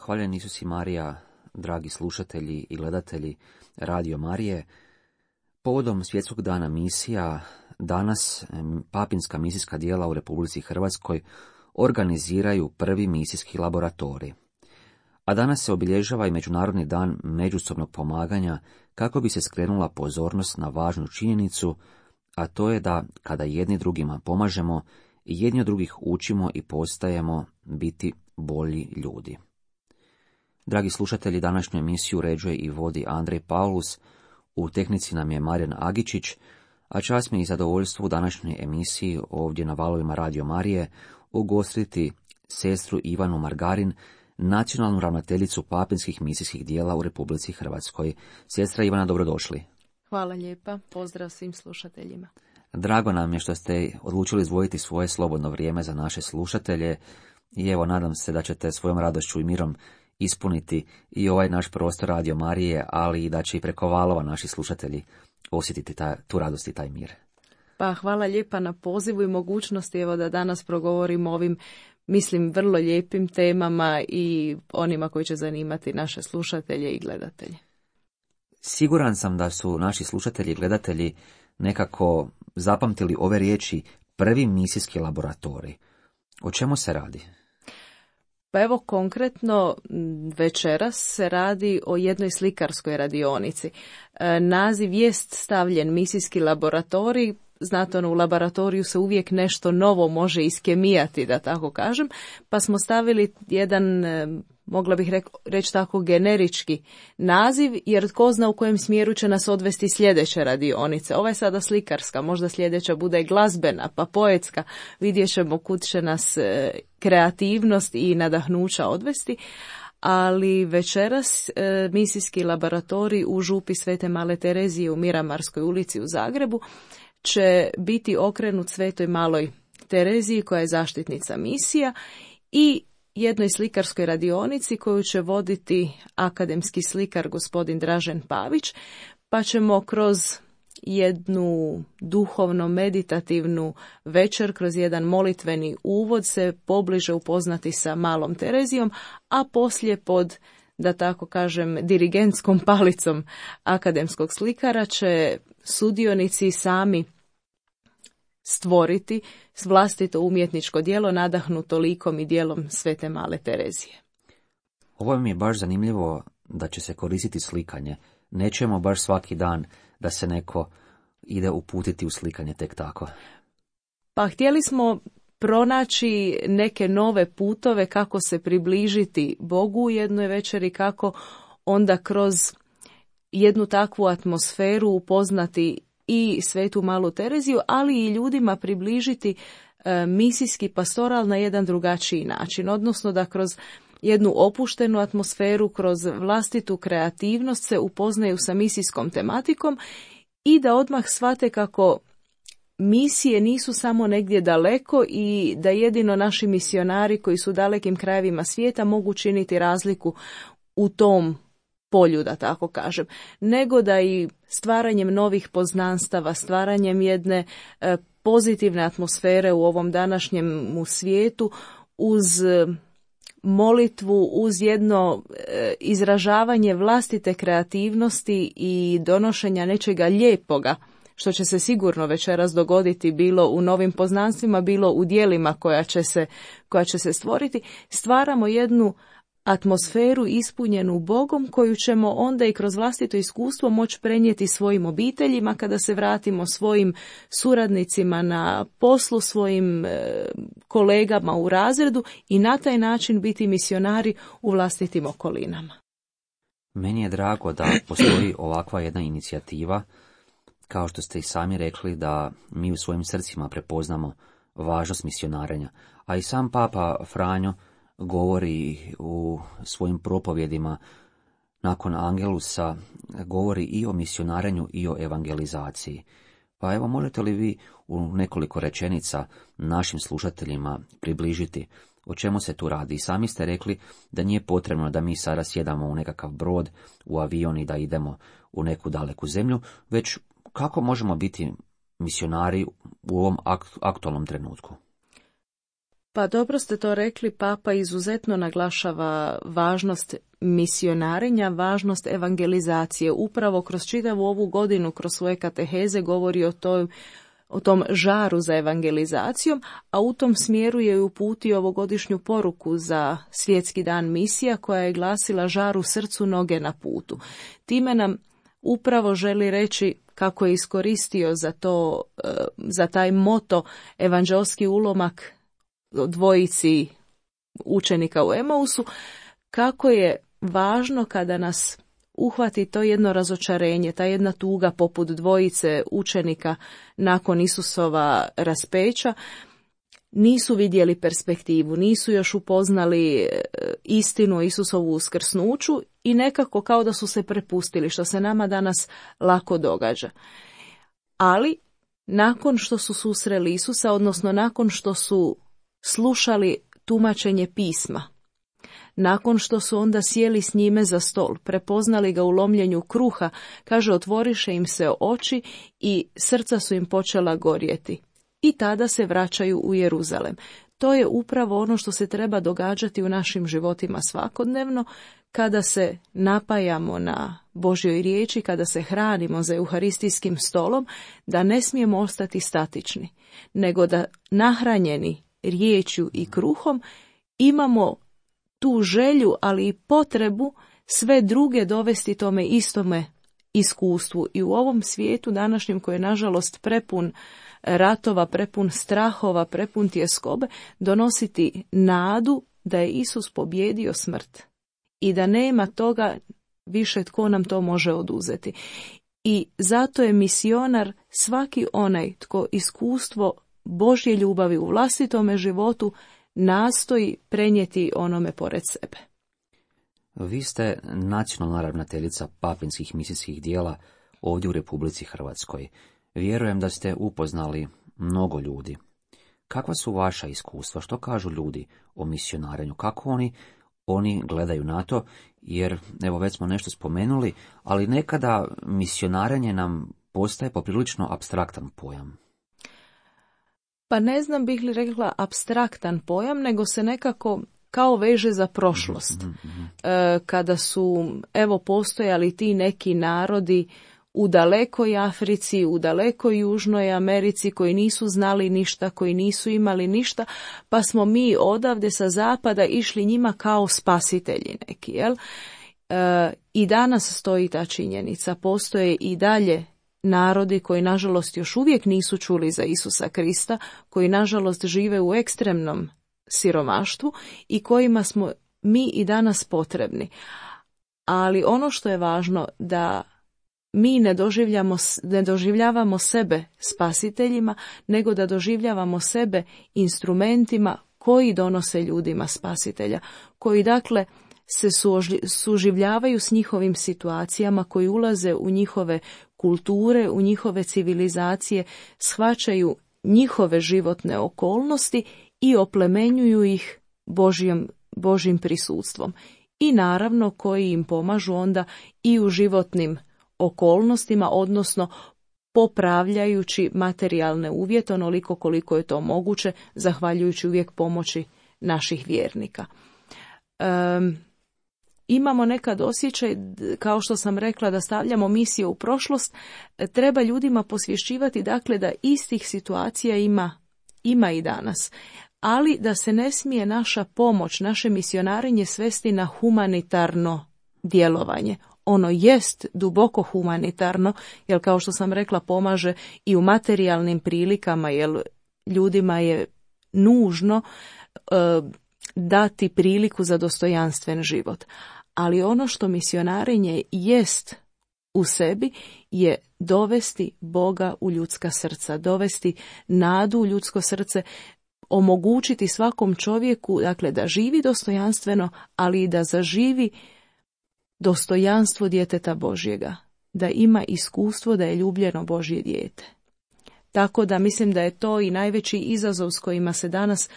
Hvaljen Isus i Marija, dragi slušatelji i gledatelji Radio Marije. Povodom Svjetskog dana misija, danas papinska misijska djela u Republici Hrvatskoj organiziraju prvi misijski laboratorij. A danas se obilježava i Međunarodni dan međusobnog pomaganja kako bi se skrenula pozornost na važnu činjenicu, a to je da kada jedni drugima pomažemo, jedni od drugih učimo i postajemo biti bolji ljudi. Dragi slušatelji, današnju emisiju uređuje i vodi Andrej Paulus, u tehnici nam je Marijan Agičić, a čast mi je i zadovoljstvo u današnjoj emisiji ovdje na valovima Radio Marije ugostiti sestru Ivanu Margarin, nacionalnu ravnateljicu papinskih misijskih djela u Republici Hrvatskoj. Sestra Ivana, dobrodošli. Hvala lijepa, pozdrav svim slušateljima. Drago nam je što ste odlučili izdvojiti svoje slobodno vrijeme za naše slušatelje i evo, nadam se da ćete svojom radošću i mirom ispuniti i ovaj naš prostor Radio Marije, ali i da će i preko valova naši slušatelji osjetiti tu radost i taj mir. Pa hvala lijepa na pozivu i mogućnosti evo da danas progovorim o ovim, mislim, vrlo lijepim temama i onima koji će zanimati naše slušatelje i gledatelje. Siguran sam da su naši slušatelji i gledatelji nekako zapamtili ove riječi prvi misijski laboratorij. O čemu se radi? Pa evo konkretno večeras se radi o jednoj slikarskoj radionici. Naziv jest stavljen misijski laboratorij. Znate, u laboratoriju se uvijek nešto novo može iskemijati, da tako kažem, pa smo stavili jedan, mogla bih reći tako, generički naziv, jer tko zna u kojem smjeru će nas odvesti sljedeće radionice. Ova je sada slikarska, možda sljedeća bude glazbena, pa poetska, vidjet ćemo kud će nas kreativnost i nadahnuća odvesti. Ali večeras misijski laboratorij u župi Svete Male Terezije u Miramarskoj ulici u Zagrebu će biti okrenut Svetoj Maloj Tereziji koja je zaštitnica misija i jednoj slikarskoj radionici koju će voditi akademski slikar gospodin Dražen Pavić, pa ćemo kroz jednu duhovno-meditativnu večer, kroz jedan molitveni uvod se pobliže upoznati sa Malom Terezijom, a poslije pod, da tako kažem, dirigentskom palicom akademskog slikara će sudionici sami stvoriti vlastito umjetničko djelo nadahnuto likom i djelom Svete Male Terezije. Ovo mi je baš zanimljivo da će se koristiti slikanje. Nećemo baš svaki dan da se neko ide uputiti u slikanje tek tako. Pa htjeli smo pronaći neke nove putove kako se približiti Bogu u jednoj večeri, kako onda kroz jednu takvu atmosferu upoznati i Svetu Malu Tereziju, ali i ljudima približiti misijski pastoral na jedan drugačiji način, odnosno da kroz jednu opuštenu atmosferu, kroz vlastitu kreativnost se upoznaju sa misijskom tematikom i da odmah shvate kako misije nisu samo negdje daleko i da jedino naši misionari koji su u dalekim krajevima svijeta mogu činiti razliku u tom polju, da tako kažem, nego da i stvaranjem novih poznanstava, stvaranjem jedne pozitivne atmosfere u ovom današnjem svijetu, uz molitvu, uz jedno izražavanje vlastite kreativnosti i donošenja nečega lijepoga, što će se sigurno večeras dogoditi bilo u novim poznanstvima, bilo u djelima koja će se stvoriti, stvaramo jednu atmosferu ispunjenu Bogom koju ćemo onda i kroz vlastito iskustvo moći prenijeti svojim obiteljima kada se vratimo, svojim suradnicima na poslu, svojim kolegama u razredu i na taj način biti misionari u vlastitim okolinama. Meni je drago da postoji ovakva jedna inicijativa, kao što ste i sami rekli, da mi u svojim srcima prepoznamo važnost misionarenja, a i sam Papa Franjo govori u svojim propovjedima nakon Angelusa, govori i o misionarenju i o evangelizaciji. Pa evo, možete li vi u nekoliko rečenica našim slušateljima približiti o čemu se tu radi? I sami ste rekli da nije potrebno da mi sada sjedamo u nekakav brod, u avion i da idemo u neku daleku zemlju, već kako možemo biti misionari u ovom aktualnom trenutku? Pa dobro ste to rekli, Papa izuzetno naglašava važnost misionarenja, važnost evangelizacije. Upravo kroz čitavu ovu godinu, kroz svoje kateheze govori o tom žaru za evangelizacijom, a u tom smjeru je uputio ovogodišnju poruku za Svjetski dan misija koja je glasila žar u srcu, noge na putu. Time nam upravo želi reći kako je iskoristio za taj moto evanđelski ulomak dvojici učenika u Emausu, kako je važno kada nas uhvati to jedno razočarenje, ta jedna tuga poput dvojice učenika nakon Isusova raspeća, nisu vidjeli perspektivu, nisu još upoznali istinu o Isusovu uskrsnuću i nekako kao da su se prepustili, što se nama danas lako događa. Ali nakon što su susreli Isusa, odnosno nakon što su slušali tumačenje pisma, nakon što su onda sjeli s njime za stol, prepoznali ga u lomljenju kruha, kaže, otvoriše im se oči i srca su im počela gorjeti. I tada se vraćaju u Jeruzalem. To je upravo ono što se treba događati u našim životima svakodnevno, kada se napajamo na Božjoj riječi, kada se hranimo za euharistijskim stolom, da ne smijemo ostati statični, nego da nahranjeni riječju i kruhom imamo tu želju, ali i potrebu sve druge dovesti tome istome iskustvu. I u ovom svijetu današnjem, koji je nažalost prepun ratova, prepun strahova, prepun tjeskobe, donositi nadu da je Isus pobjedio smrt i da nema toga više tko nam to može oduzeti. I zato je misionar svaki onaj tko iskustvo Božje ljubavi u vlastitome životu nastoji prenijeti onome pored sebe. Vi ste nacionalna ravnateljica papinskih misijskih dijela ovdje u Republici Hrvatskoj. Vjerujem da ste upoznali mnogo ljudi. Kakva su vaša iskustva? Što kažu ljudi o misionarenju? Kako oni gledaju na to? Jer, evo, već smo nešto spomenuli, ali nekada misionarenje nam postaje poprilično apstraktan pojam. Pa ne znam bih li rekla apstraktan pojam, nego se nekako kao veže za prošlost. Kada su, evo, postojali ti neki narodi u dalekoj Africi, u dalekoj Južnoj Americi, koji nisu znali ništa, koji nisu imali ništa, pa smo mi odavde sa zapada išli njima kao spasitelji neki, jel? I danas stoji ta činjenica. Postoje i dalje narodi koji nažalost još uvijek nisu čuli za Isusa Krista, koji nažalost žive u ekstremnom siromaštvu i kojima smo mi i danas potrebni. Ali ono što je važno, da mi ne doživljavamo sebe spasiteljima, nego da doživljavamo sebe instrumentima koji donose ljudima spasitelja, koji dakle se suživljavaju s njihovim situacijama, koji ulaze u njihove kulture, u njihove civilizacije, shvaćaju njihove životne okolnosti i oplemenjuju ih Božjim prisutstvom. I naravno koji im pomažu onda i u životnim okolnostima, odnosno popravljajući materijalne uvjete onoliko koliko je to moguće, zahvaljujući uvijek pomoći naših vjernika. Imamo nekad osjećaj, kao što sam rekla, da stavljamo misije u prošlost. Treba ljudima posvješćivati, dakle, da istih situacija ima i danas, ali da se ne smije naša pomoć, naše misionarenje svesti na humanitarno djelovanje. Ono jest duboko humanitarno, jer kao što sam rekla, pomaže i u materijalnim prilikama, jer ljudima je nužno dati priliku za dostojanstven život. Ali ono što misionarenje jest u sebi je dovesti Boga u ljudska srca, dovesti nadu u ljudsko srce, omogućiti svakom čovjeku, dakle, da živi dostojanstveno, ali i da zaživi dostojanstvo djeteta Božjega, da ima iskustvo da je ljubljeno Božje dijete. Tako da mislim da je to i najveći izazov s kojima se danas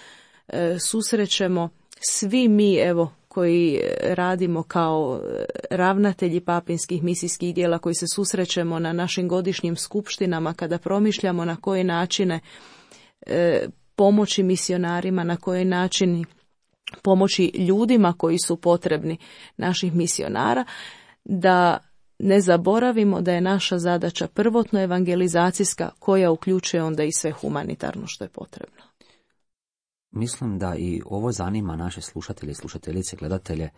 susrećemo svi mi, evo, koji radimo kao ravnatelji papinskih misijskih dijela, koji se susrećemo na našim godišnjim skupštinama, kada promišljamo na koje načine pomoći misionarima, na koji način pomoći ljudima koji su potrebni naših misionara, da ne zaboravimo da je naša zadaća prvotno evangelizacijska, koja uključuje onda i sve humanitarno što je potrebno. Mislim da i ovo zanima naše slušatelje, slušateljice, gledatelje.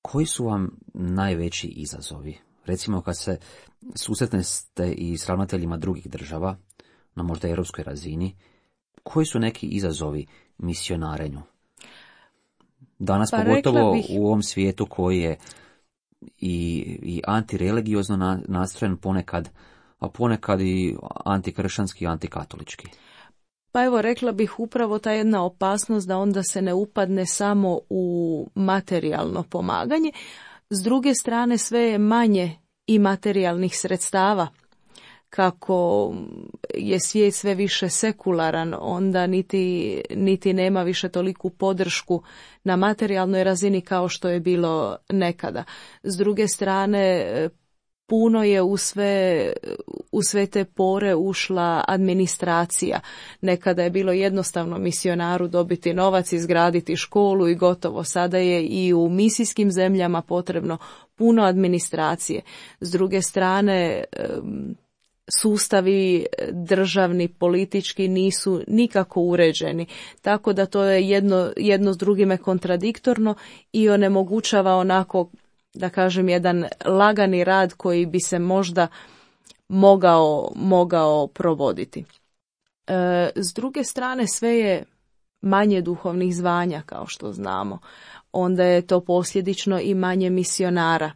Koji su vam najveći izazovi? Recimo kad se susretnete i s ravnateljima drugih država, na možda europskoj razini, koji su neki izazovi misionarenju? Danas pogotovo u ovom svijetu koji je i antireligiozno nastrojen ponekad, a ponekad i antikršćanski i antikatolički. Pa evo, rekla bih upravo ta jedna opasnost da onda se ne upadne samo u materijalno pomaganje. S druge strane, sve je manje i materijalnih sredstava. Kako je svijet sve više sekularan, onda niti nema više toliku podršku na materijalnoj razini kao što je bilo nekada. S druge strane, puno je u sve te pore ušla administracija. Nekada je bilo jednostavno misionaru dobiti novac, izgraditi školu i gotovo. Sada je i u misijskim zemljama potrebno puno administracije. S druge strane, sustavi državni, politički nisu nikako uređeni, tako da to je jedno s drugime kontradiktorno i onemogućava onako, da kažem, jedan lagani rad koji bi se možda mogao provoditi. S druge strane, sve je manje duhovnih zvanja, kao što znamo. Onda je to posljedično i manje misionara.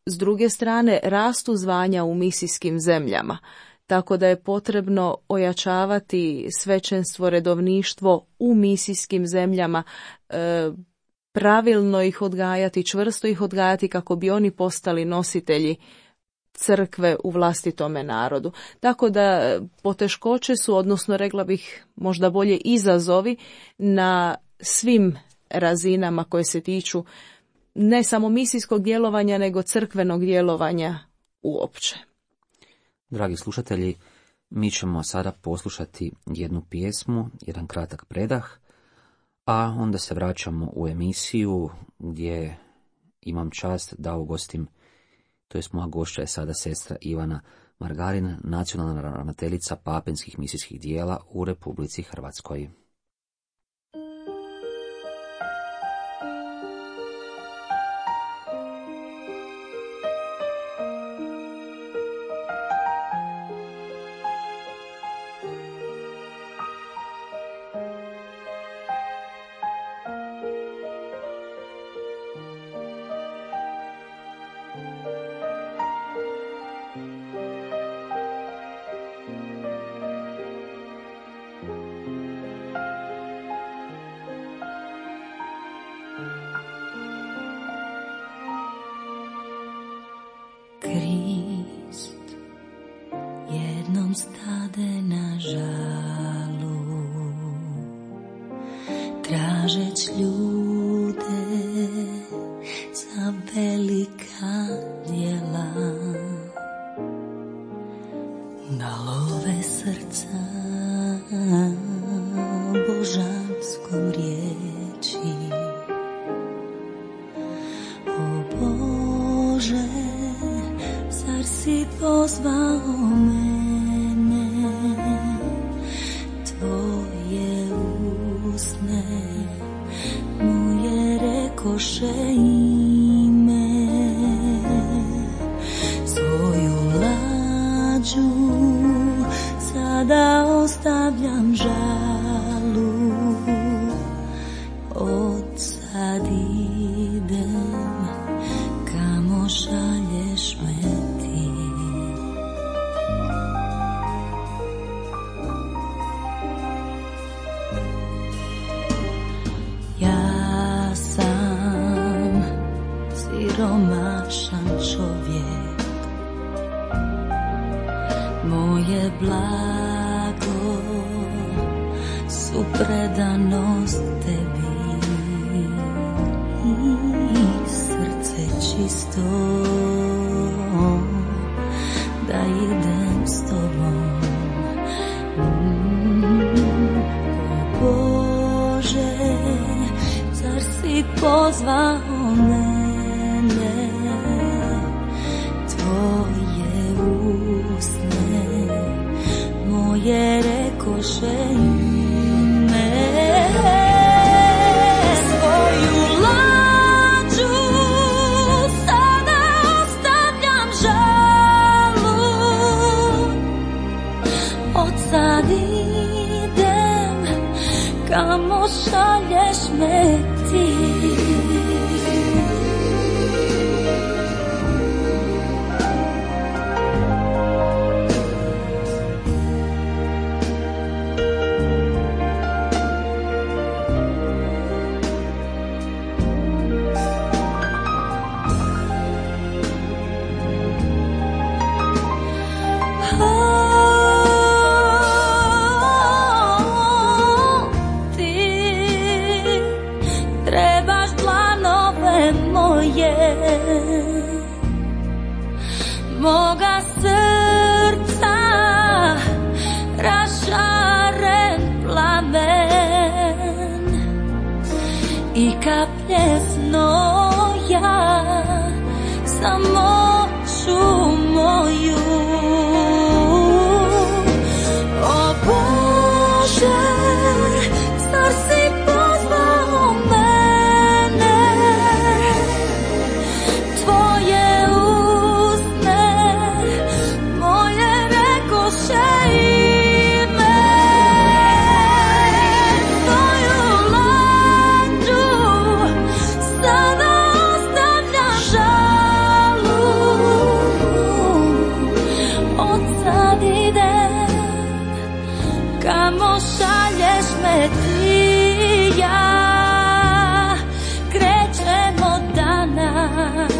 S druge strane, rastu zvanja u misijskim zemljama, tako da je potrebno ojačavati svećenstvo, redovništvo u misijskim zemljama, pravilno ih odgajati, čvrsto ih odgajati kako bi oni postali nositelji crkve u vlastitome narodu. Tako da poteškoće su, odnosno rekla bih možda bolje izazovi na svim razinama koje se tiču ne samo misijskog djelovanja, nego crkvenog djelovanja uopće. Dragi slušatelji, mi ćemo sada poslušati jednu pjesmu, jedan kratak predah, a onda se vraćamo u emisiju gdje imam čast da ugostim, to jest moja gošća je sada sestra Ivana Margarin, nacionalna ravnateljica papinskih misijskih dijela u Republici Hrvatskoj. Krist jednom stade na žalu, tražeć ljude za velika djela, da love srca božanskom riječi. O Bože, zar si pozvao mene, tvoje usne mu je rekoše ime, svoju lađu sada ostavljam žalu, odsad idem kamo šalješ me ti. Ja sam siromašan čovjek, moje blago su predanost tebi i srce čisto da idem s tobom. naše ime. Svoju lađu sada ostavljam žalu, od sad idem kamo šalješ me ti. Moga srca rašaren plamen i kaplje znoja za moću moju. O Bože, zar si pozvao mene, tvoje usne moje rekoše ime. Tvoju lađu sada ostavljam žalu, od sad idem kamo šalješ me ti. Ja krećemo danas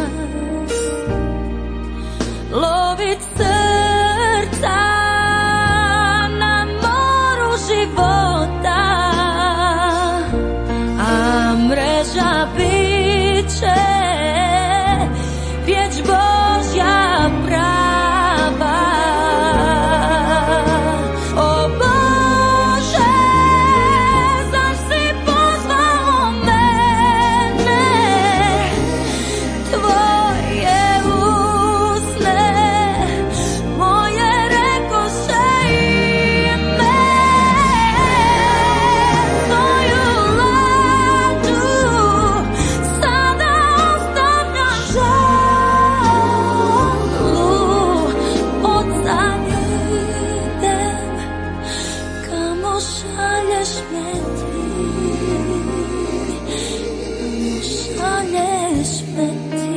lovit srca na moru života, a mreža bit će pjeć Božja prava. O Bože, zar si pozvao mene, tvoje usne moje rekoše ime. Tvoju lađu sada ostavljam žalu, od sad idem kamo šalješ me ti, kamo šalješ me ti.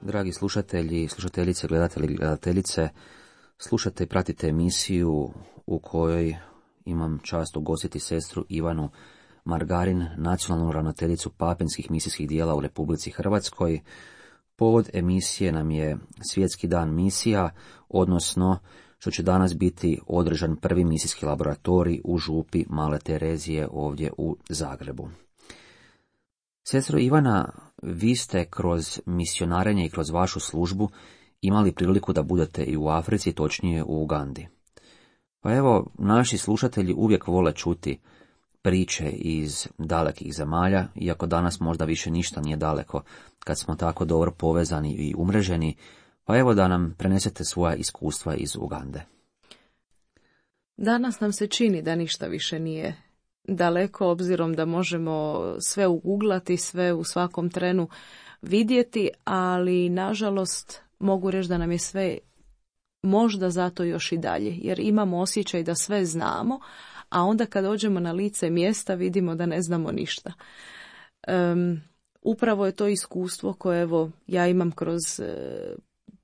Dragi slušatelji, slušateljice, gledatelji, gledateljice, slušate i pratite emisiju u kojoj imam čast ugostiti sestru Ivanu Margarin, nacionalnu ravnateljicu papinskih misijskih dijela u Republici Hrvatskoj. Povod emisije nam je Svjetski dan misija, odnosno što će danas biti održan prvi misijski laboratorij u župi Male Terezije ovdje u Zagrebu. Sestro Ivana, vi ste kroz misionarenje i kroz vašu službu imali priliku da budete i u Africi, točnije u Ugandi. Pa evo, naši slušatelji uvijek vole čuti priče iz dalekih zemalja, iako danas možda više ništa nije daleko kad smo tako dobro povezani i umreženi, pa evo da nam prenesete svoja iskustva iz Ugande. Danas nam se čini da ništa više nije daleko, obzirom da možemo sve uguglati, sve u svakom trenu vidjeti, ali nažalost mogu reći da nam je sve možda zato još i dalje, jer imamo osjećaj da sve znamo, a onda kad dođemo na lice mjesta vidimo da ne znamo ništa. Upravo je to iskustvo koje evo ja imam kroz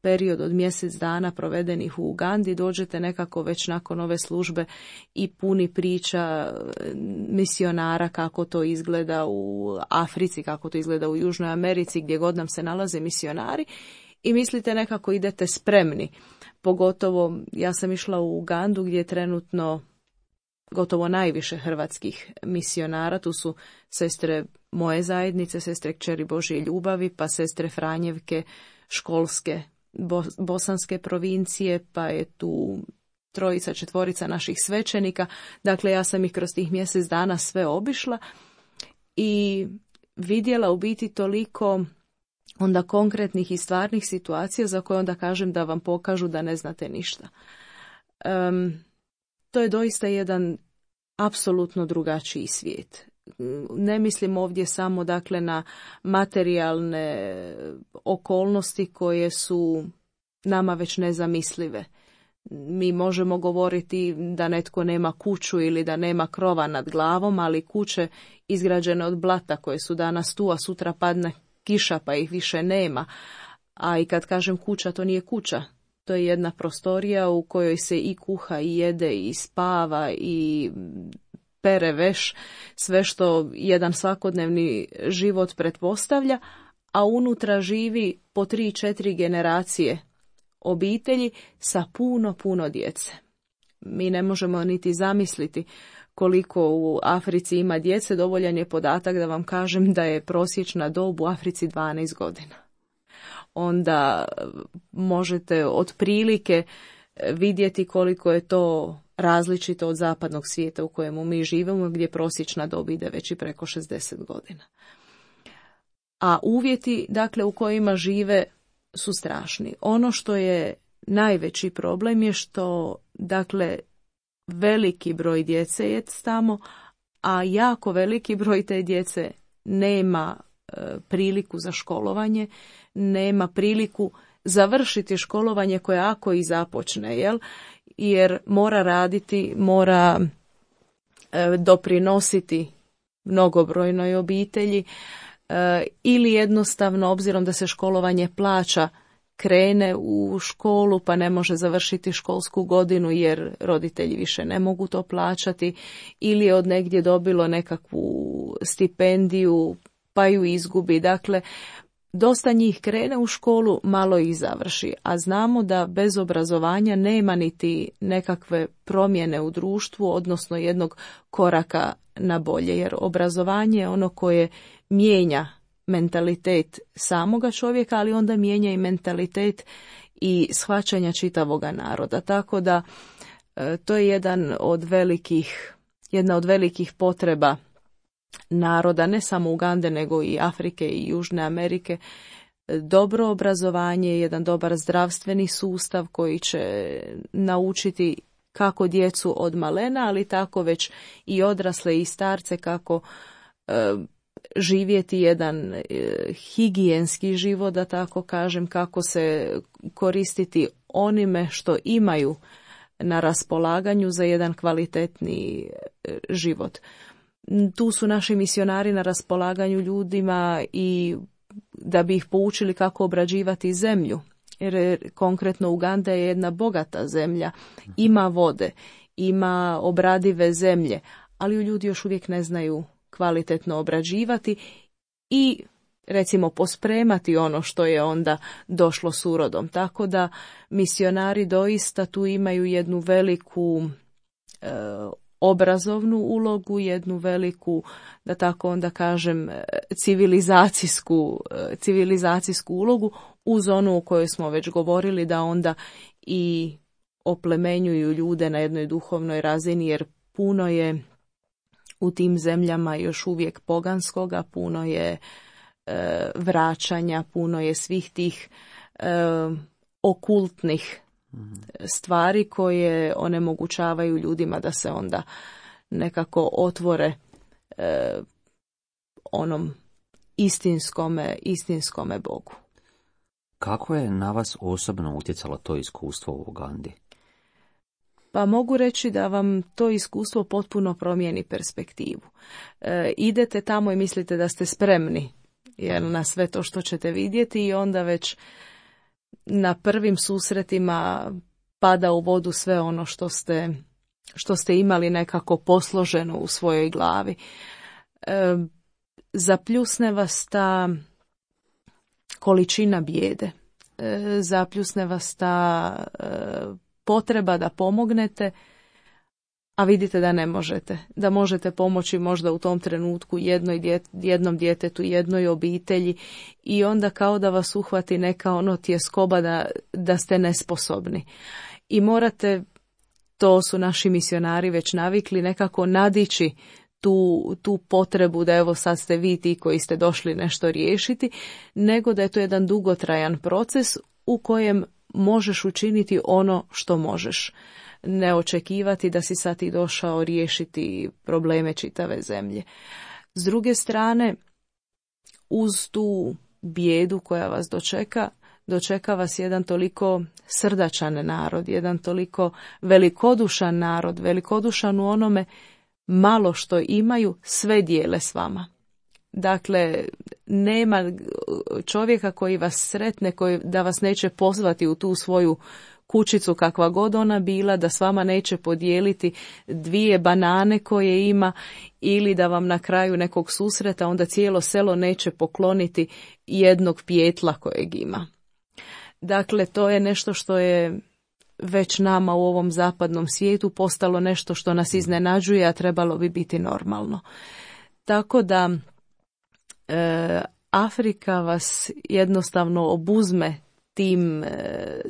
period od mjesec dana provedenih u Ugandi. Dođete nekako već nakon ove službe i puni priča misionara kako to izgleda u Africi, kako to izgleda u Južnoj Americi, gdje god nam se nalaze misionari, i mislite nekako idete spremni. Pogotovo ja sam išla u Ugandu gdje je trenutno gotovo najviše hrvatskih misionara. Tu su sestre moje zajednice, sestre Kćeri Božje ljubavi, pa sestre Franjevke, školske bosanske provincije, pa je tu 3, 4 naših svećenika. Dakle, ja sam ih kroz tih mjesec dana sve obišla i vidjela u biti toliko onda konkretnih i stvarnih situacija za koje onda kažem da vam pokažu da ne znate ništa. To je doista jedan apsolutno drugačiji svijet. Ne mislim ovdje samo dakle na materijalne okolnosti koje su nama već nezamislive. Mi možemo govoriti da netko nema kuću ili da nema krova nad glavom, ali kuće izgrađene od blata koje su danas tu, a sutra padne kiša pa ih više nema. A i kad kažem kuća, to nije kuća. To je jedna prostorija u kojoj se i kuha, i jede, i spava, i pere veš, sve što jedan svakodnevni život pretpostavlja, a unutra živi po 3-4 generacije obitelji sa puno djece. Mi ne možemo niti zamisliti koliko u Africi ima djece. Dovoljan je podatak da vam kažem da je prosječna dob u Africi 12 godina. Onda možete otprilike vidjeti koliko je to različito od zapadnog svijeta u kojemu mi živimo, gdje prosječna dob ide već i preko 60 godina. A uvjeti, dakle, u kojima žive su strašni. Ono što je najveći problem je što, dakle, veliki broj djece je tamo, a jako veliki broj te djece nema priliku za školovanje, nema priliku završiti školovanje koje ako i započne, jer mora raditi, mora doprinositi mnogobrojnoj obitelji, ili jednostavno, obzirom da se školovanje plaća, krene u školu pa ne može završiti školsku godinu jer roditelji više ne mogu to plaćati, ili je od negdje dobilo nekakvu stipendiju pa ju izgubi. Dakle, dosta njih krene u školu, malo ih završi, a znamo da bez obrazovanja nema niti nekakve promjene u društvu, odnosno jednog koraka na bolje, jer obrazovanje je ono koje mijenja mentalitet samoga čovjeka, ali onda mijenja i mentalitet i shvaćanja čitavoga naroda. Tako da to je jedna od velikih potreba naroda, ne samo Ugande, nego i Afrike i Južne Amerike. Dobro obrazovanje, jedan dobar zdravstveni sustav koji će naučiti kako djecu od malena, ali tako već i odrasle i starce kako živjeti jedan higijenski život, da tako kažem, kako se koristiti onime što imaju na raspolaganju za jedan kvalitetni život. Tu su naši misionari na raspolaganju ljudima i da bi ih poučili kako obrađivati zemlju. Jer konkretno Uganda je jedna bogata zemlja, ima vode, ima obradive zemlje, ali ljudi još uvijek ne znaju kvalitetno obrađivati i recimo pospremati ono što je onda došlo s urodom. Tako da misionari doista tu imaju jednu veliku obrazovnu ulogu, jednu veliku, da tako onda kažem, civilizacijsku ulogu, uz onu o kojoj smo već govorili, da onda i oplemenjuju ljude na jednoj duhovnoj razini, jer puno je u tim zemljama još uvijek poganskoga, puno je vraćanja, puno je svih tih okultnih stvari koje onemogućavaju ljudima da se onda nekako otvore onom istinskome Bogu. Kako je na vas osobno utjecalo to iskustvo u Ugandi? Pa mogu reći da vam to iskustvo potpuno promijeni perspektivu. Idete tamo i mislite da ste spremni na sve to što ćete vidjeti i onda već na prvim susretima pada u vodu sve ono što ste imali nekako posloženo u svojoj glavi. Zapljusne vas ta količina bijede, zapljusne vas ta potreba da pomognete, a vidite da ne možete. Da možete pomoći možda u tom trenutku jednom djetetu, jednoj obitelji i onda kao da vas uhvati neka tjeskoba da ste nesposobni. I morate to su naši misionari već navikli, nekako nadići tu potrebu da evo sad ste vi ti koji ste došli nešto riješiti, nego da je to jedan dugotrajan proces u kojem možeš učiniti ono što možeš. Ne očekivati da si sad i došao riješiti probleme čitave zemlje. S druge strane, uz tu bijedu koja vas dočeka vas jedan toliko srdačan narod, jedan toliko velikodušan narod, velikodušan u onome malo što imaju, sve dijele s vama. Dakle, nema čovjeka koji vas sretne, koji da vas neće pozvati u tu svoju kućicu kakva god ona bila, da s vama neće podijeliti 2 banane koje ima ili da vam na kraju nekog susreta onda cijelo selo neće pokloniti jednog pijetla kojeg ima. Dakle, to je nešto što je već nama u ovom zapadnom svijetu postalo nešto što nas iznenađuje, a trebalo bi biti normalno. Tako da Afrika vas jednostavno obuzme tim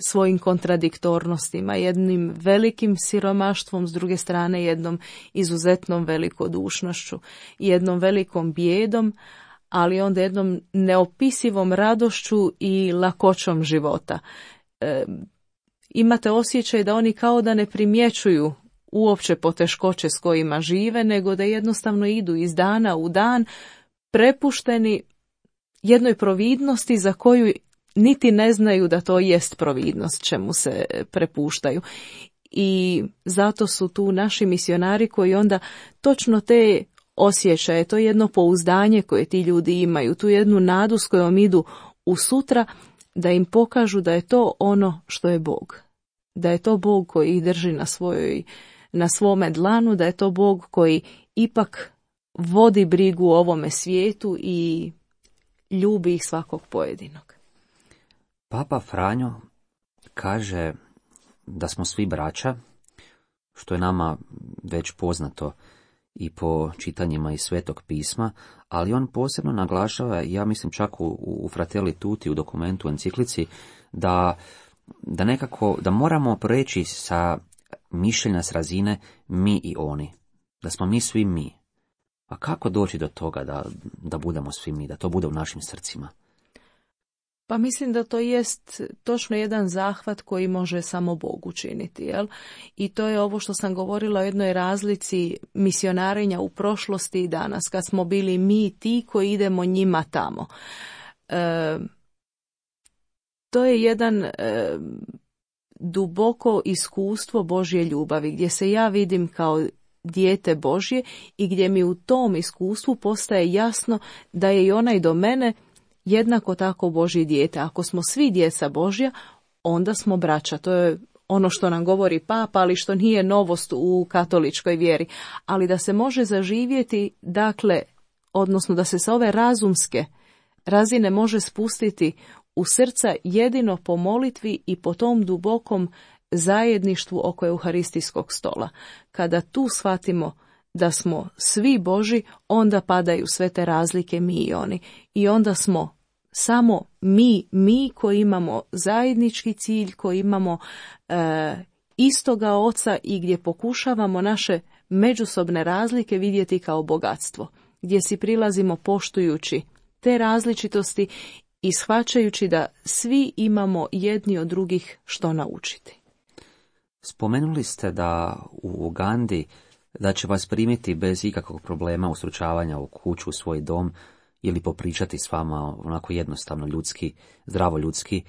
svojim kontradiktornostima, jednim velikim siromaštvom, s druge strane jednom izuzetnom velikodušnošću, jednom velikom bijedom, ali onda jednom neopisivom radošću i lakoćom života. Imate osjećaj da oni kao da ne primjećuju uopće poteškoće s kojima žive, nego da jednostavno idu iz dana u dan, prepušteni jednoj providnosti za koju niti ne znaju da to jest providnost čemu se prepuštaju. I zato su tu naši misionari koji onda točno te osjećaje, to jedno pouzdanje koje ti ljudi imaju, tu jednu nadu s kojom idu u sutra, da im pokažu da je to ono što je Bog. Da je to Bog koji ih drži na svome dlanu, da je to Bog koji ipak vodi brigu o ovome svijetu i ljubi ih svakog pojedinog. Papa Franjo kaže da smo svi braća, što je nama već poznato i po čitanjima iz Svetog pisma, ali on posebno naglašava, ja mislim čak u Fratelli Tutti, u dokumentu, u enciklici, da nekako, da moramo preći sa mišljenja s razine mi i oni, da smo mi svi mi. A kako doći do toga da budemo svi mi, da to bude u našim srcima? Pa mislim da to jest točno jedan zahvat koji može samo Bog učiniti, jel? I to je ovo što sam govorila o jednoj razlici misionarenja u prošlosti i danas, kad smo bili mi ti koji idemo njima tamo. To je jedan duboko iskustvo Božje ljubavi, gdje se ja vidim kao dijete Božje i gdje mi u tom iskustvu postaje jasno da je i onaj do mene jednako tako Božje dijete. Ako smo svi djeca Božja, onda smo braća. To je ono što nam govori Papa, ali što nije novost u katoličkoj vjeri. Ali da se može zaživjeti, dakle, odnosno da se sa ove razumske razine može spustiti u srca jedino po molitvi i po tom dubokom zajedništvu oko euharistijskog stola. Kada tu shvatimo da smo svi Boži, onda padaju sve te razlike mi i oni. I onda smo samo mi koji imamo zajednički cilj, koji imamo istoga oca i gdje pokušavamo naše međusobne razlike vidjeti kao bogatstvo. Gdje si prilazimo poštujući te različitosti i shvaćajući da svi imamo jedni od drugih što naučiti. Spomenuli ste da u Ugandi da će vas primiti bez ikakvog problema ustručavanja u kuću, u svoj dom ili popričati s vama onako jednostavno ljudski, zdravo ljudski.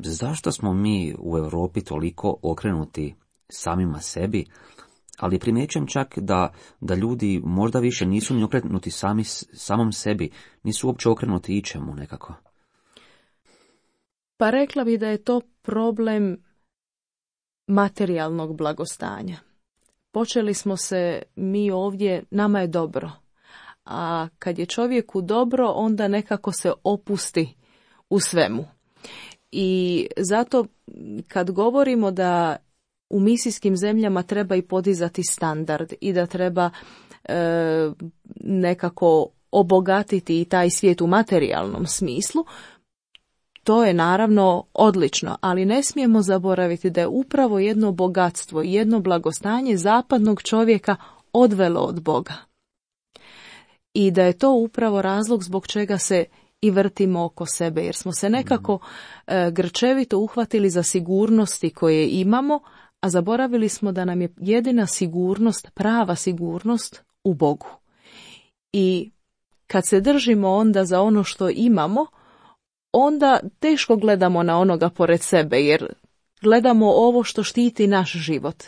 Zašto smo mi u Europi toliko okrenuti samima sebi, ali primjećujem čak da ljudi možda više nisu ni okrenuti samom sebi, nisu uopće okrenuti ičemu nekako? Pa rekla bi da je to problem materijalnog blagostanja. Počeli smo se mi ovdje, nama je dobro, a kad je čovjeku dobro, onda nekako se opusti u svemu. I zato kad govorimo da u misijskim zemljama treba i podizati standard i da treba nekako obogatiti i taj svijet u materijalnom smislu, to je naravno odlično, ali ne smijemo zaboraviti da je upravo jedno bogatstvo i jedno blagostanje zapadnog čovjeka odvelo od Boga. I da je to upravo razlog zbog čega se i vrtimo oko sebe, jer smo se nekako grčevito uhvatili za sigurnosti koje imamo, a zaboravili smo da nam je jedina sigurnost, prava sigurnost u Bogu. I kad se držimo onda za ono što imamo, onda teško gledamo na onoga pored sebe, jer gledamo ovo što štiti naš život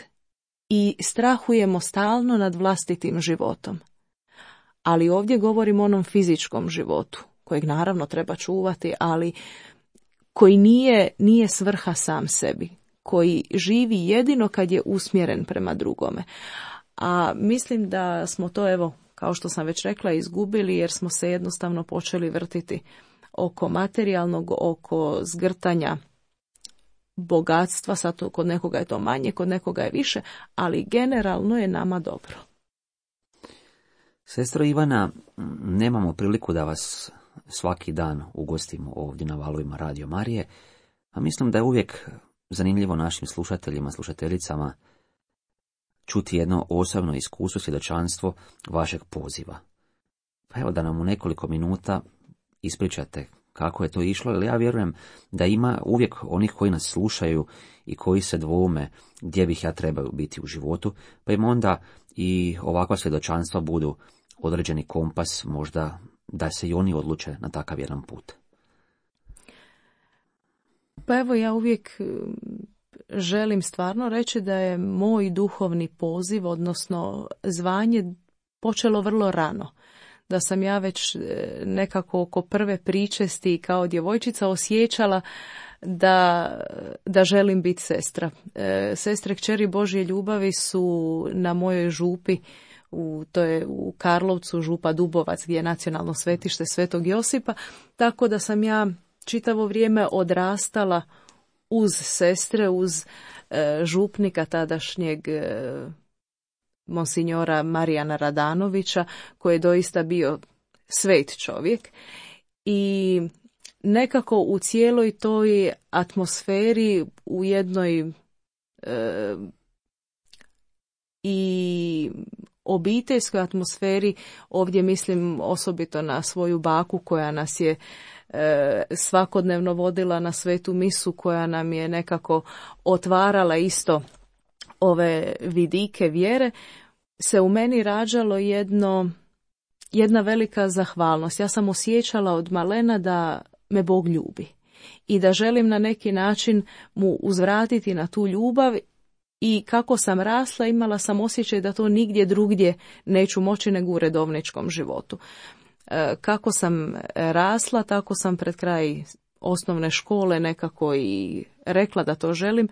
i strahujemo stalno nad vlastitim životom. Ali ovdje govorimo o onom fizičkom životu, kojeg naravno treba čuvati, ali koji nije svrha sam sebi, koji živi jedino kad je usmjeren prema drugome. A mislim da smo to, evo, kao što sam već rekla, izgubili jer smo se jednostavno počeli vrtiti oko materijalnog, oko zgrtanja bogatstva. Sad kod nekoga je to manje, kod nekoga je više, ali generalno je nama dobro. Sestro Ivana, nemamo priliku da vas svaki dan ugostimo ovdje na valovima Radio Marije, a mislim da je uvijek zanimljivo našim slušateljima, slušateljicama čuti jedno osobno iskustvo, svjedočanstvo vašeg poziva. Pa evo da nam u nekoliko minuta ispričate kako je to išlo, jer ja vjerujem da ima uvijek onih koji nas slušaju i koji se dvoume gdje bih ja trebao biti u životu, pa im onda i ovakva svjedočanstva budu određeni kompas, možda da se i oni odluče na takav jedan put. Pa evo, ja uvijek želim stvarno reći da je moj duhovni poziv, odnosno zvanje, počelo vrlo rano. Da sam ja već nekako oko prve pričesti kao djevojčica osjećala da želim biti sestra. Sestre kćeri Božje ljubavi su na mojoj župi, to je u Karlovcu, župa Dubovac, gdje je nacionalno svetište Svetog Josipa, tako da sam ja čitavo vrijeme odrastala uz sestre, uz župnika tadašnjeg monsignora Marijana Radanovića, koji je doista bio svet čovjek. I nekako u cijeloj toj atmosferi, u jednoj i obiteljskoj atmosferi, ovdje mislim osobito na svoju baku koja nas je svakodnevno vodila na svetu misu, koja nam je nekako otvarala isto ove vidike vjere, se u meni rađalo jedna velika zahvalnost. Ja sam osjećala od malena da me Bog ljubi i da želim na neki način mu uzvratiti na tu ljubav. I kako sam rasla, imala sam osjećaj da to nigdje drugdje neću moći nego u redovničkom životu. Kako sam rasla, tako sam pred kraj osnovne škole nekako i rekla da to želim.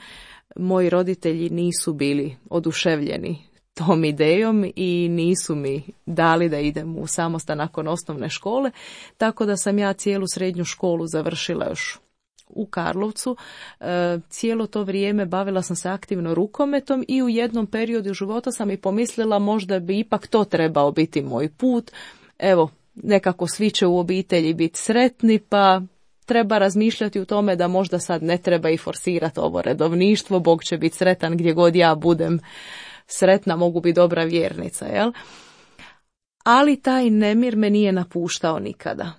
Moji roditelji nisu bili oduševljeni tom idejom i nisu mi dali da idem u samostan nakon osnovne škole, tako da sam ja cijelu srednju školu završila još u Karlovcu. Cijelo to vrijeme bavila sam se aktivno rukometom i u jednom periodu života sam i pomislila možda bi ipak to trebao biti moj put. Evo, nekako svi će u obitelji biti sretni, pa treba razmišljati u tome da možda sad ne treba i forsirati ovo redovništvo, Bog će biti sretan gdje god ja budem sretna, mogu biti dobra vjernica, jel? Ali taj nemir me nije napuštao nikada.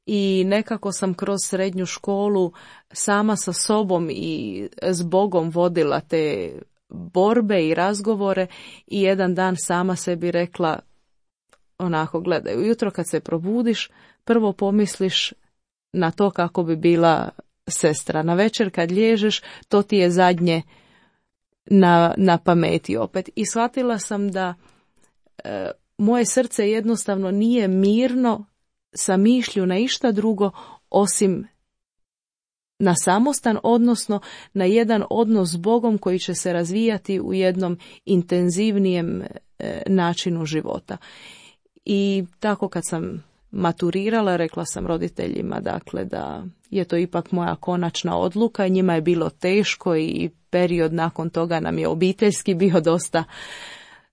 I nekako sam kroz srednju školu sama sa sobom i s Bogom vodila te borbe i razgovore i jedan dan sama sebi rekla onako, gledaj, ujutro kad se probudiš, prvo pomisliš na to kako bi bila sestra. Na večer kad liježeš, to ti je zadnje na pameti opet. I shvatila sam da moje srce jednostavno nije mirno sa mišlju na išta drugo osim na samostan, odnosno na jedan odnos s Bogom koji će se razvijati u jednom intenzivnijem načinu života. I tako kad sam maturirala, rekla sam roditeljima dakle da je to ipak moja konačna odluka. Njima je bilo teško i period nakon toga nam je obiteljski bio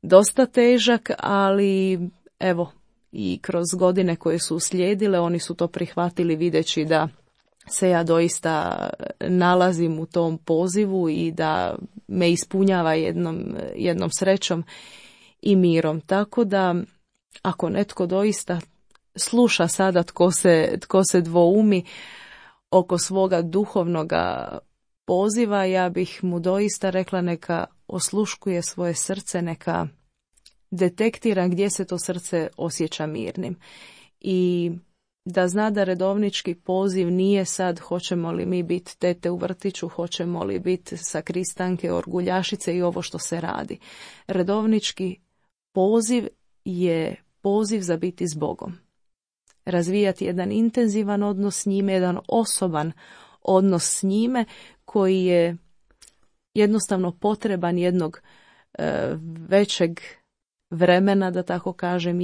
dosta težak, ali evo, i kroz godine koje su uslijedile oni su to prihvatili videći da se ja doista nalazim u tom pozivu i da me ispunjava jednom srećom i mirom. Tako da, ako netko doista sluša sada tko se dvoumi oko svoga duhovnoga poziva, ja bih mu doista rekla neka osluškuje svoje srce, neka detektira gdje se to srce osjeća mirnim. I da zna da redovnički poziv nije sad hoćemo li mi biti tete u vrtiću, hoćemo li biti sakristanke, orguljašice i ovo što se radi. Redovnički poziv je poziv za biti s Bogom. Razvijati jedan intenzivan odnos s njime, jedan osoban odnos s njime koji je jednostavno potreban jednog većeg vremena, da tako kažem,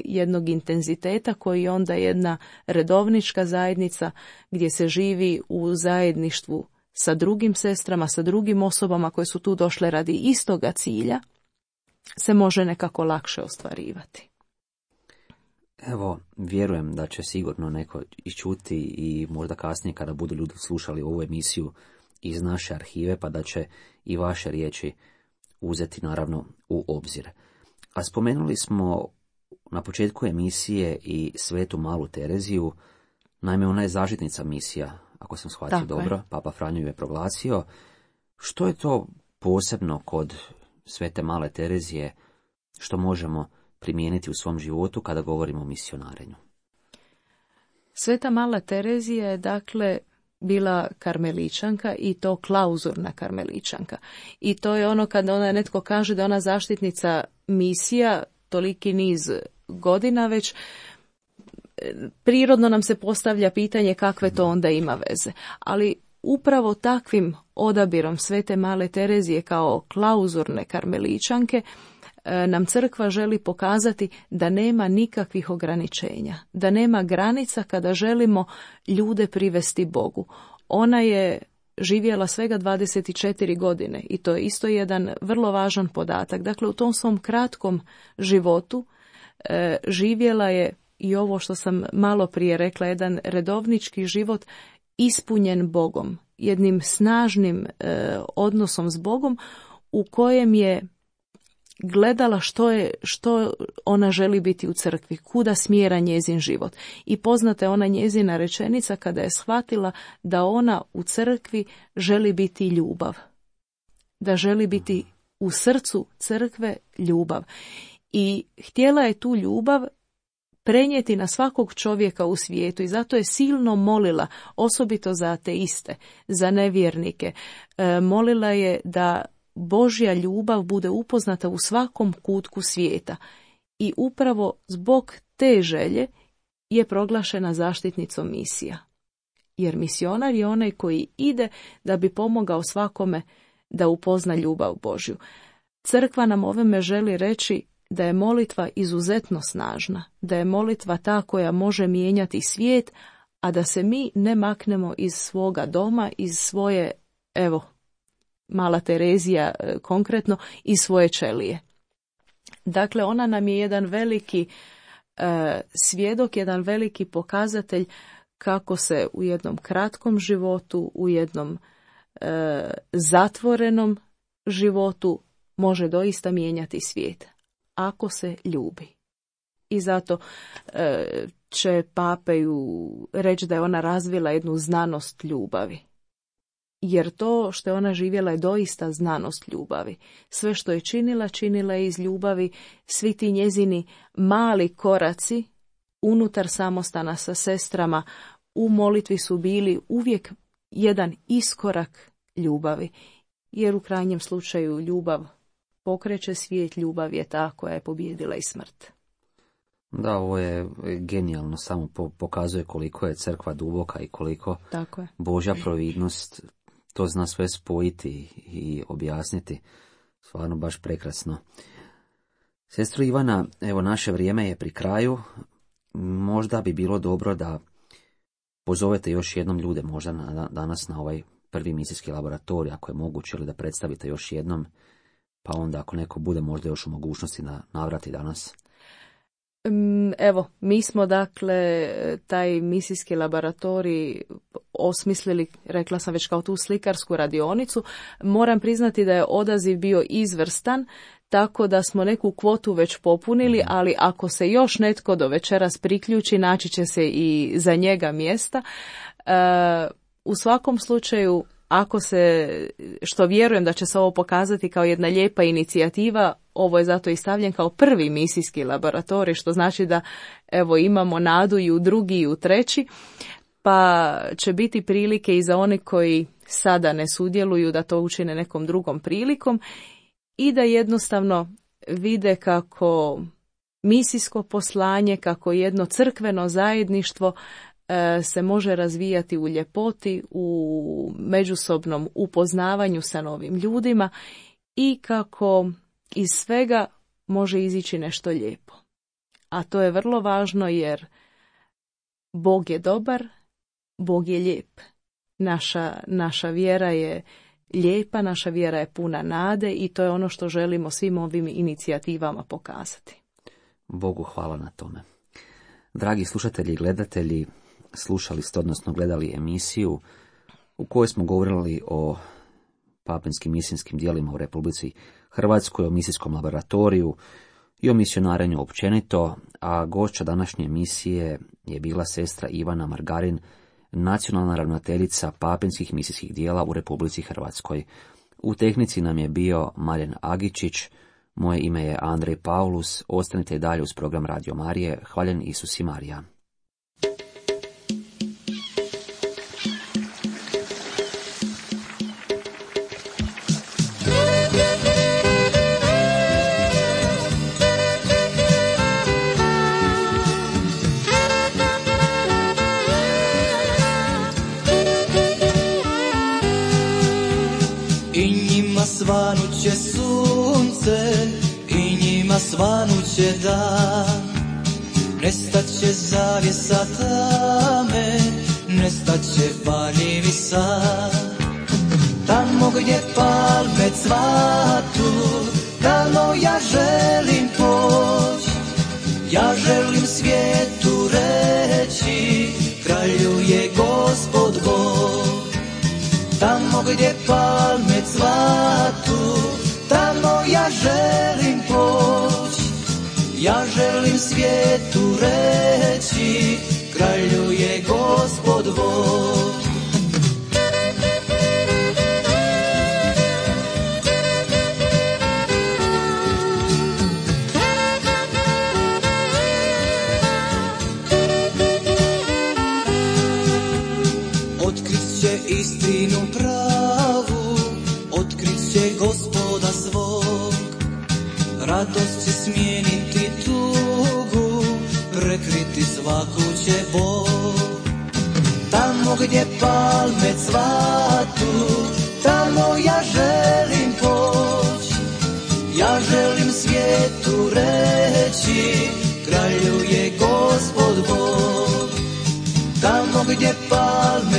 jednog intenziteta koji je onda jedna redovnička zajednica gdje se živi u zajedništvu sa drugim sestrama, sa drugim osobama koje su tu došle radi istoga cilja, se može nekako lakše ostvarivati. Evo, vjerujem da će sigurno neko iščuti i možda kasnije kada budu ljudi slušali ovu emisiju iz naše arhive, pa da će i vaše riječi uzeti naravno u obzir. A spomenuli smo na početku emisije i Svetu Malu Tereziju, naime ona je zaštitnica misija, ako sam shvatio Tako dobro, je. Papa Franjo ju je proglasio. Što je to posebno kod Svete Male Terezije što možemo primijeniti u svom životu kada govorimo o misionarenju? Sveta Mala Terezija je dakle bila karmeličanka i to klauzurna karmeličanka. I to je ono kada ona netko kaže da ona zaštitnica misija toliki niz godina već, prirodno nam se postavlja pitanje kakve to onda ima veze. Ali upravo takvim odabirom Svete Male Terezije kao klauzurne karmeličanke nam crkva želi pokazati da nema nikakvih ograničenja, da nema granica kada želimo ljude privesti Bogu. Ona je živjela svega 24 godine i to je isto jedan vrlo važan podatak. Dakle, u tom svom kratkom životu živjela je i ovo što sam malo prije rekla, jedan redovnički život ispunjen Bogom, jednim snažnim odnosom s Bogom u kojem je gledala što ona želi biti u crkvi, kuda smjera njezin život. I poznata je ona njezina rečenica kada je shvatila da ona u crkvi želi biti ljubav. Da želi biti u srcu crkve ljubav. I htjela je tu ljubav prenijeti na svakog čovjeka u svijetu i zato je silno molila, osobito za ateiste, za nevjernike. Molila je da Božja ljubav bude upoznata u svakom kutku svijeta i upravo zbog te želje je proglašena zaštitnicom misija. Jer misionar je onaj koji ide da bi pomogao svakome da upozna ljubav Božju. Crkva nam ovime želi reći da je molitva izuzetno snažna, da je molitva ta koja može mijenjati svijet, a da se mi ne maknemo iz svoga doma, iz svoje, evo, Mala Terezija konkretno, iz svoje ćelije. Dakle, ona nam je jedan veliki svjedok, jedan veliki pokazatelj kako se u jednom kratkom životu, u jednom zatvorenom životu može doista mijenjati svijet, ako se ljubi. I zato će pape ju reći da je ona razvila jednu znanost ljubavi. Jer to što je ona živjela je doista znanost ljubavi. Sve što je činila je iz ljubavi. Svi ti njezini mali koraci unutar samostana sa sestrama u molitvi su bili uvijek jedan iskorak ljubavi. Jer u krajnjem slučaju ljubav pokreće svijet, ljubav je ta koja je pobijedila i smrt. Da, ovo je genijalno, samo pokazuje koliko je crkva duboka i koliko Tako je. Božja providnost to zna sve spojiti i objasniti. Stvarno baš prekrasno. Sestro Ivana, evo naše vrijeme je pri kraju. Možda bi bilo dobro da pozovete još jednom ljude možda danas na ovaj prvi misijski laboratorij, ako je moguće, ili da predstavite još jednom, pa onda ako neko bude možda još u mogućnosti da navrati danas. Evo, mi smo dakle taj misijski laboratorij osmislili, rekla sam već, kao tu slikarsku radionicu. Moram priznati da je odaziv bio izvrstan, tako da smo neku kvotu već popunili, ali ako se još netko do večeras priključi, naći će se i za njega mjesta. U svakom slučaju, ako se, što vjerujem da će se ovo pokazati kao jedna lijepa inicijativa, ovo je zato i stavljen kao prvi misijski laboratorij, što znači da evo imamo nadu i u drugi i u treći, pa će biti prilike i za one koji sada ne sudjeluju da to učine nekom drugom prilikom i da jednostavno vide kako misijsko poslanje, kako jedno crkveno zajedništvo se može razvijati u ljepoti, u međusobnom upoznavanju sa novim ljudima i kako iz svega može izići nešto lijepo. A to je vrlo važno jer Bog je dobar, Bog je lijep. Naša vjera je lijepa, naša vjera je puna nade i to je ono što želimo svim ovim inicijativama pokazati. Bogu hvala na tome. Dragi slušatelji i gledatelji, slušali ste, odnosno gledali emisiju u kojoj smo govorili o papinskim misijskim djelima u Republici Hrvatskoj, o misijskom laboratoriju i o misionarenju općenito, a gošća današnje emisije je bila sestra Ivana Margarin, nacionalna ravnateljica papinskih misijskih djela u Republici Hrvatskoj. U tehnici nam je bio Marjan Agičić, moje ime je Andrej Paulus, ostanite i dalje uz program Radio Marije. Hvaljen Isus i Marija. Svanuće sunce i njima svanuće dan, nestaće zavjesa tame, nestaće valjevi san. Tamo gdje palme cvatu, tamo ja želim poć, ja želim svijetu reći, kraljuje Gospod Bog. Tamo gdje palme cvatu, tamo ja želim poći, ja želim svijetu reći, kraljuje Gospod Bog. Otkrit će istinu pravu, otkrit će Gospoda svog, radost će smijeniti tugu, prekriti svaku će bol. Tamo gdje palme cvatu, tamo ja želim poći, ja želim svijetu reći, kraljuje Gospod Bog. Tamo gdje palme